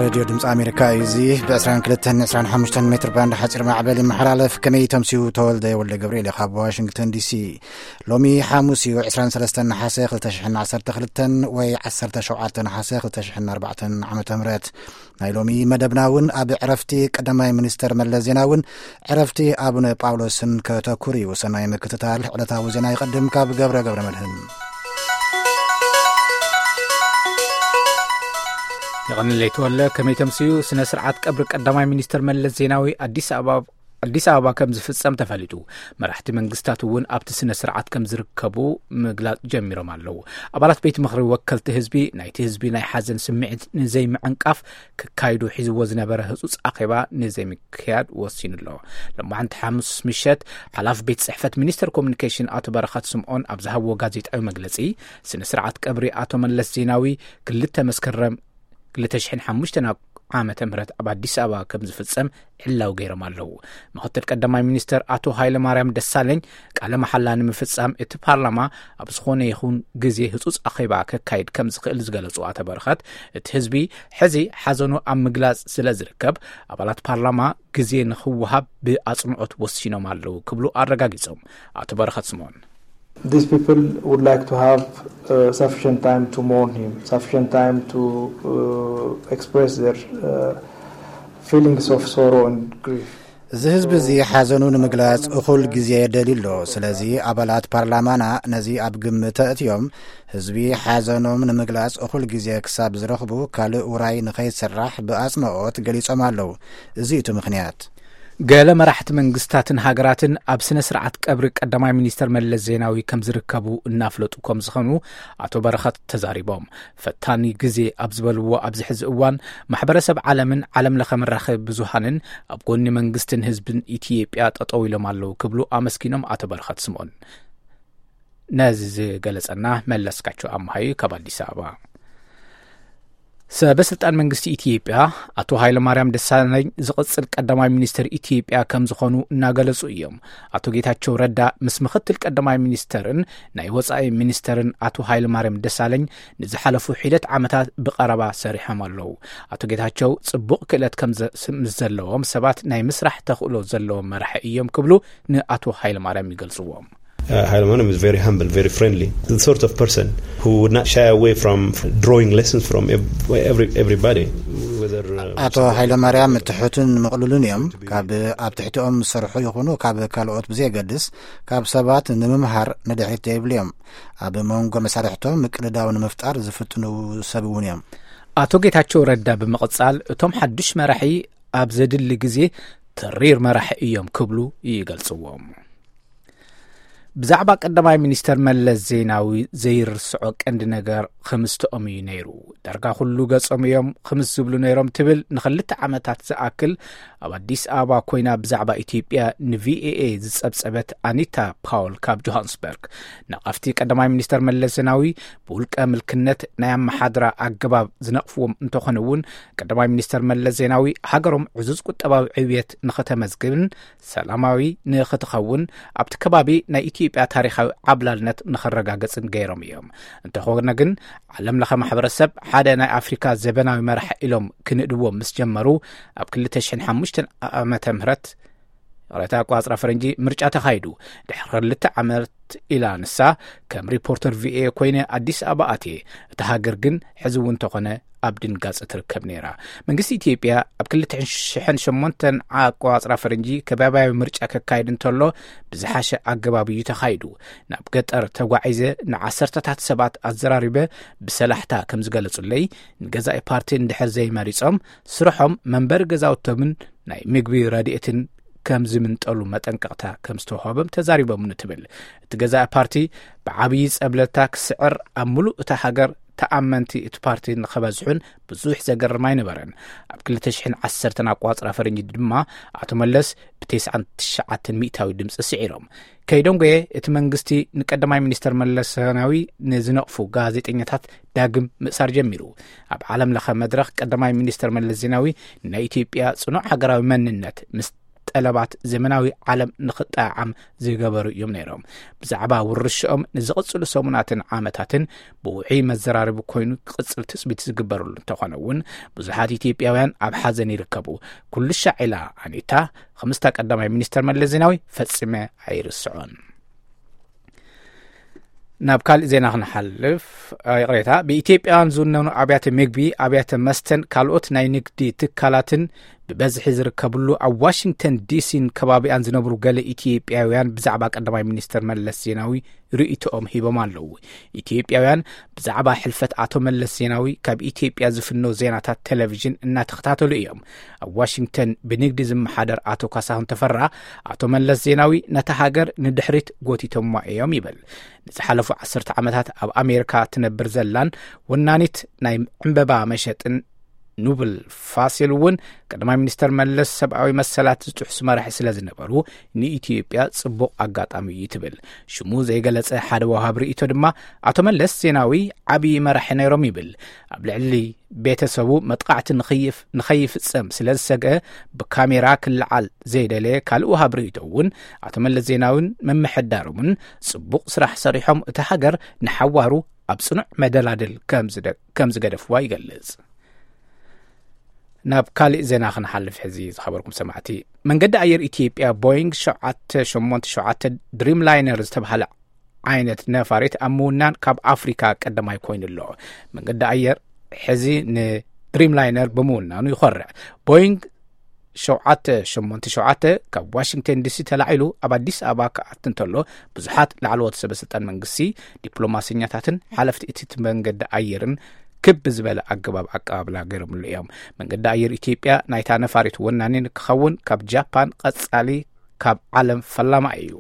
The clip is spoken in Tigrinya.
ሬድዮ ድምፂ ኣሜሪካ እዩ። እዚ ብ22 25 ሜትር ባንድ ሓፂር ማዕበል ይመሓላለፍ። ከመይ ተምስዩ? ተወልደ ወልደ ገብርኤል እዩ ካብ ዋሽንግተን ዲሲ። ሎሚ ሓሙስ እዩ፣ 23 ነሓሰ 2012 ወይ 17 ነሓሰ 2004 ዓመተ ምህረት። ናይ ሎሚ መደብና እውን ኣብ ዕረፍቲ ቀዳማይ ሚኒስተር መለስ ዜናውን ዕረፍቲ ኣቡነ ጳውሎስን ከተኩር እዩ። ሰናይ ምክትታል። ዕለታዊ ዜና ይቐድም ካብ ገብረ ገብረ መድህን። የቐንለይ ተወለ። ከመይ ተምስዩ? ስነ ስርዓት ቀብሪ ቀዳማይ ሚኒስተር መለስ ዜናዊ ኣዲስ ኣበባ ኣዲስ ኣበባ ከም ዝፍጸም ተፈሊጡ። መራሕቲ መንግስታት እውን ኣብቲ ስነ ስርዓት ከም ዝርከቡ ምግላጽ ጀሚሮም ኣለዉ። ኣባላት ቤት ምኽሪ ወከልቲ ህዝቢ ናይቲ ህዝቢ ናይ ሓዘን ስምዒት ንዘይምዕንቃፍ ክካይዱ ሒዝዎ ዝነበረ ህጹጽ ኣኼባ ንዘይምክያድ ወሲኑ ኣሎ። ሎማዓንቲ ሓሙስ ምሸት ሓላፊ ቤት ጽሕፈት ሚኒስተር ኮሙኒኬሽን ኣቶ በረኸት ስምዖን ኣብ ዝሃብዎ ጋዜጣዊ መግለጺ፣ ስነ ስርዓት ቀብሪ ኣቶ መለስ ዜናዊ ክልተ መስከረም 2005 ዓመተ ምህረት ኣብ ኣዲስ ኣበባ ከም ዝፍጸም ዕላው ገይሮም ኣለዉ። ምኽትል ቀዳማይ ሚኒስተር ኣቶ ሃይለ ማርያም ደሳለኝ ቃለ መሓላ ንምፍጻም እቲ ፓርላማ ኣብ ዝኾነ ይኹን ግዜ ህጹጽ ኣኼባ ከካይድ ከም ዝኽእል ዝገለጹ ኣቶ በረኸት፣ እቲ ህዝቢ ሕዚ ሓዘኑ ኣብ ምግላጽ ስለ ዝርከብ ኣባላት ፓርላማ ግዜ ንኽወሃብ ብኣጽንኦት ወሲኖም ኣለዉ ክብሉ ኣረጋጊጾም። ኣቶ በረኸት ስምኦን። These people would like to have uh, sufficient time to mourn him, sufficient time to uh, express their uh, feelings of sorrow and grief. እዚ ህዝቢ እዚ ሓዘኑ ንምግላጽ እኹል ግዜ የደልዩ ኣሎ። ስለዚ ኣባላት ፓርላማና ነዚ ኣብ ግምት ኣእትዮም፣ ህዝቢ ሓዘኖም ንምግላጽ እኹል ግዜ ክሳብ ዝረኽቡ ካልእ ውራይ ንኸይሰራሕ ብኣጽንኦት ገሊጾም ኣለዉ። እዚ እቲ ምኽንያት። ገለ መራሕቲ መንግስታትን ሃገራትን ኣብ ስነ ስርዓት ቀብሪ ቀዳማይ ሚኒስተር መለስ ዜናዊ ከም ዝርከቡ እናፍለጡ ከም ዝኾኑ ኣቶ በረኸት ተዛሪቦም። ፈታኒ ግዜ ኣብ ዝበልዎ ኣብዚ ሕዚ እዋን ማሕበረሰብ ዓለምን ዓለም ለኸ መራኸቢ ብዙሃንን ኣብ ጎኒ መንግስትን ህዝብን ኢትዮጵያ ጠጠው ኢሎም ኣለዉ ክብሉ ኣመስጊኖም ኣቶ በረኸት ስምኦን። ነዚ ዝገለጸና መለስካቸው ኣምሃዩ ካብ ኣዲስ ኣበባ። ሰበ ስልጣን መንግስቲ ኢትዮጵያ ኣቶ ሃይለማርያም ደሳለኝ ዝቕጽል ቀዳማይ ሚኒስትር ኢትዮጵያ ከም ዝኾኑ እናገለጹ እዮም። ኣቶ ጌታቸው ረዳ ምስ ምኽትል ቀዳማይ ሚኒስተርን ናይ ወጻኢ ሚኒስተርን ኣቶ ሃይለማርያም ደሳለኝ ንዝሓለፉ ሒደት ዓመታት ብቐረባ ሰሪሖም ኣለዉ። ኣቶ ጌታቸው ጽቡቕ ክእለት ከም ዘ-፣ ምስ ዘለዎም ሰባት ናይ ምስራሕ ተኽእሎ ዘለዎም መራሒ እዮም ክብሉ ንኣቶ ሃይለማርያም ይገልጽዎም። Uh, Hailemariam is very humble, very friendly, the sort of person who would not shy away from drawing lessons from ev- every, everybody. Whether, uh, ኣቶ ሃይለማርያም ትሑትን ምቕሉልን እዮም። ካብ ኣብ ትሕቲኦም ዝሰርሑ ይኹኑ ካብ ካልኦት ብዘየገድስ ካብ ሰባት ንምምሃር ንድሕሪት ዘይብሉ እዮም። ኣብ መንጎ መሳርሕቶም ምቅልዳው ንምፍጣር ዝፍትኑ ሰብ እውን እዮም። ኣቶ ጌታቸው ረዳ ብምቕጻል እቶም ሓዱሽ መራሒ ኣብ ዘድሊ ግዜ ተሪር መራሒ እዮም ክብሉ ይገልጽዎም። ብዛዕባ ቀዳማይ ሚኒስተር መለስ ዜናዊ ዘይርስዖ ቀንዲ ነገር ክምስተኦም እዩ ነይሩ። ዳርጋ ኩሉ ገጾም እዮም ክምስ ዝብሉ ነይሮም ትብል ንኽልተ ዓመታት ዝኣክል ኣብ ኣዲስ ኣበባ ኮይና ብዛዕባ ኢትዮጵያ ንቪኦኤ ዝጸብጸበት ኣኒታ ፓውል ካብ ጆሃንስበርግ፣ ነቐፍቲ ቀዳማይ ሚኒስተር መለስ ዜናዊ ብውልቀ ምልክነት ናይ ኣመሓድራ ኣገባብ ዝነቕፍዎም እንተኾነ እውን፣ ቀዳማይ ሚኒስተር መለስ ዜናዊ ሃገሮም ዕዙዝ ቁጠባዊ ዕብየት ንኸተመዝግብን ሰላማዊ ንኽትኸውን ኣብቲ ከባቢ ናይ ኢትዮጵያ ታሪኻዊ ዓብላልነት ንኸረጋገጽን ገይሮም እዮም። እንተኾነ ግን ዓለም ለኸ ማሕበረሰብ ሓደ ናይ ኣፍሪካ ዘበናዊ መራሒ ኢሎም ክንእድዎም ምስ ጀመሩ ኣብ 2005 ዓመተ ምህረት፣ ይቕሬታ፣ ኣቋጽራ ፈረንጂ፣ ምርጫ ተኻይዱ። ድሕሪ ክልተ ዓመት ኢላ ንሳ፣ ከም ሪፖርተር ቪኦኤ ኮይነ ኣዲስ ኣበባ ኣትየ። እታ ሃገር ግን ሕዚ እውን እንተኾነ ኣብ ድንጋጸ ትርከብ ነይራ። መንግስቲ ኢትዮጵያ ኣብ 2008 ኣቋጽራ ፈረንጂ ከባብያዊ ምርጫ ከካይድ እንተሎ ብዝሓሸ ኣገባብ እዩ ተኻይዱ። ናብ ገጠር ተጓዒዘ ንዓሰርተታት ሰባት ኣዘራሪበ ብሰላሕታ ከም ዝገለጹለይ፣ ንገዛኢ ፓርቲ እንድሕር ዘይመሪጾም ስርሖም መንበሪ ገዛውቶምን ናይ ምግቢ ረድኤትን ከም ዝምንጠሉ መጠንቀቕታ ከም ዝተዋህቦም ተዛሪቦምኒ ትብል። እቲ ገዛኢ ፓርቲ ብዓብዪ ጸብለልታ ክስዕር ኣብ ምሉእ እታ ሃገር ተኣመንቲ እቲ ፓርቲ ንኸበዝሑን ብዙሕ ዘገርም ኣይነበረን። ኣብ 2010 ኣቋጽራ ፈረንጂ ድማ ኣቶ መለስ ብ99 ሚእታዊ ድምፂ ስዒሮም። ከይደንጎየ እቲ መንግስቲ ንቀዳማይ ሚኒስተር መለስ ዜናዊ ንዝነቕፉ ጋዜጠኛታት ዳግም ምእሳር ጀሚሩ። ኣብ ዓለም ለኸ መድረኽ ቀዳማይ ሚኒስተር መለስ ዜናዊ ናይ ኢትዮጵያ ጽኑዕ ሃገራዊ መንነት ምስ ጠለባት ዘመናዊ ዓለም ንኽጠዓም ዝገበሩ እዮም ነይሮም። ብዛዕባ ውርሻኦም ንዝቕጽሉ ሰሙናትን ዓመታትን ብውዑይ መዘራረቢ ኮይኑ ክቕጽል ትጽቢት ዝግበረሉ እንተኾነ እውን፣ ብዙሓት ኢትዮጵያውያን ኣብ ሓዘን ይርከቡ። ኩሉ ሻዕ ኢላ ኣኒታ፣ ከምስታ ቀዳማይ ሚኒስተር መለስ ዜናዊ ፈጺመ ኣይርስዖን። ናብ ካልእ ዜና ክንሓልፍ፣ ይቕሬታ፣ ብኢትዮጵያውያን ዝውነኑ ኣብያተ ምግቢ፣ ኣብያተ መስተን ካልኦት ናይ ንግዲ ትካላትን ብበዝሒ ዝርከብሉ ኣብ ዋሽንግተን ዲሲን ከባቢኣን ዝነብሩ ገለ ኢትዮጵያውያን ብዛዕባ ቀዳማይ ሚኒስተር መለስ ዜናዊ ርእይቶኦም ሂቦም ኣለዉ። ኢትዮጵያውያን ብዛዕባ ሕልፈት ኣቶ መለስ ዜናዊ ካብ ኢትዮጵያ ዝፍነው ዜናታት ቴሌቪዥን እናተኸታተሉ እዮም። ኣብ ዋሽንግተን ብንግዲ ዝመሓደር ኣቶ ካሳሁን ተፈራ፣ ኣቶ መለስ ዜናዊ ነታ ሃገር ንድሕሪት ጎቲቶማ እዮም ይብል። ንዝሓለፉ ዓሰርተ ዓመታት ኣብ ኣሜሪካ ትነብር ዘላን ወናኒት ናይ ዕምበባ መሸጥን ኑብል ፋሲል እውን፣ ቀዳማይ ሚኒስተር መለስ ሰብኣዊ መሰላት ዝጥሕሱ መራሒ ስለ ዝነበሩ፣ ንኢትዮጵያ ጽቡቕ ኣጋጣሚ እዩ ትብል። ሽሙ ዘይገለጸ ሓደ ወሃብ ርእይቶ ድማ፣ ኣቶ መለስ ዜናዊ ዓብዪ መራሒ ነይሮም ይብል። ኣብ ልዕሊ ቤተሰቡ መጥቃዕቲ ንኽይፍ-፣ ንኸይፍጸም ስለ ዝሰግአ፣ ብካሜራ ክለዓል ዘይደለየ ካልእ ወሃብ ርእይቶ እውን፣ ኣቶ መለስ ዜናዊን ምምሕዳሮምን ጽቡቕ ስራሕ ሰሪሖም፣ እታ ሃገር ንሓዋሩ ኣብ ጽኑዕ መደላድል ከም ዝደ-፣ ከም ዝገደፍዋ ይገልጽ። ናብ ካልእ ዜና ክንሓልፍ ሕዚ፣ ዝኸበርኩም ሰማዕቲ። መንገዲ ኣየር ኢትዮጵያ ቦይንግ ሸውዓተ ሸሞንተ ሸውዓተ ድሪም ላይነር ዝተባህለ ዓይነት ነፋሪት ኣብ ምውናን ካብ ኣፍሪካ ቀዳማይ ኮይኑ ኣሎ። መንገዲ ኣየር ሕዚ ንድሪም ላይነር ብምውናኑ ይኾርዕ። ቦይንግ ሸውዓተ ሸሞንተ ሸውዓተ ካብ ዋሽንግተን ዲሲ ተላዒሉ ኣብ ኣዲስ ኣበባ ክኣቱ እንተሎ፣ ብዙሓት ላዕለዎት ሰበ ስልጣን መንግስቲ፣ ዲፕሎማሰኛታትን ሓለፍቲ እቲ መንገዲ ኣየርን ክብ ዝበለ ኣገባብ ኣቀባብላ ገይሮምሉ እዮም። መንገዲ ኣየር ኢትዮጵያ ናይታ ነፋሪት ወናኒ ንክኸውን ካብ ጃፓን ቀጻሊ ካብ ዓለም ፈላማ እዩ።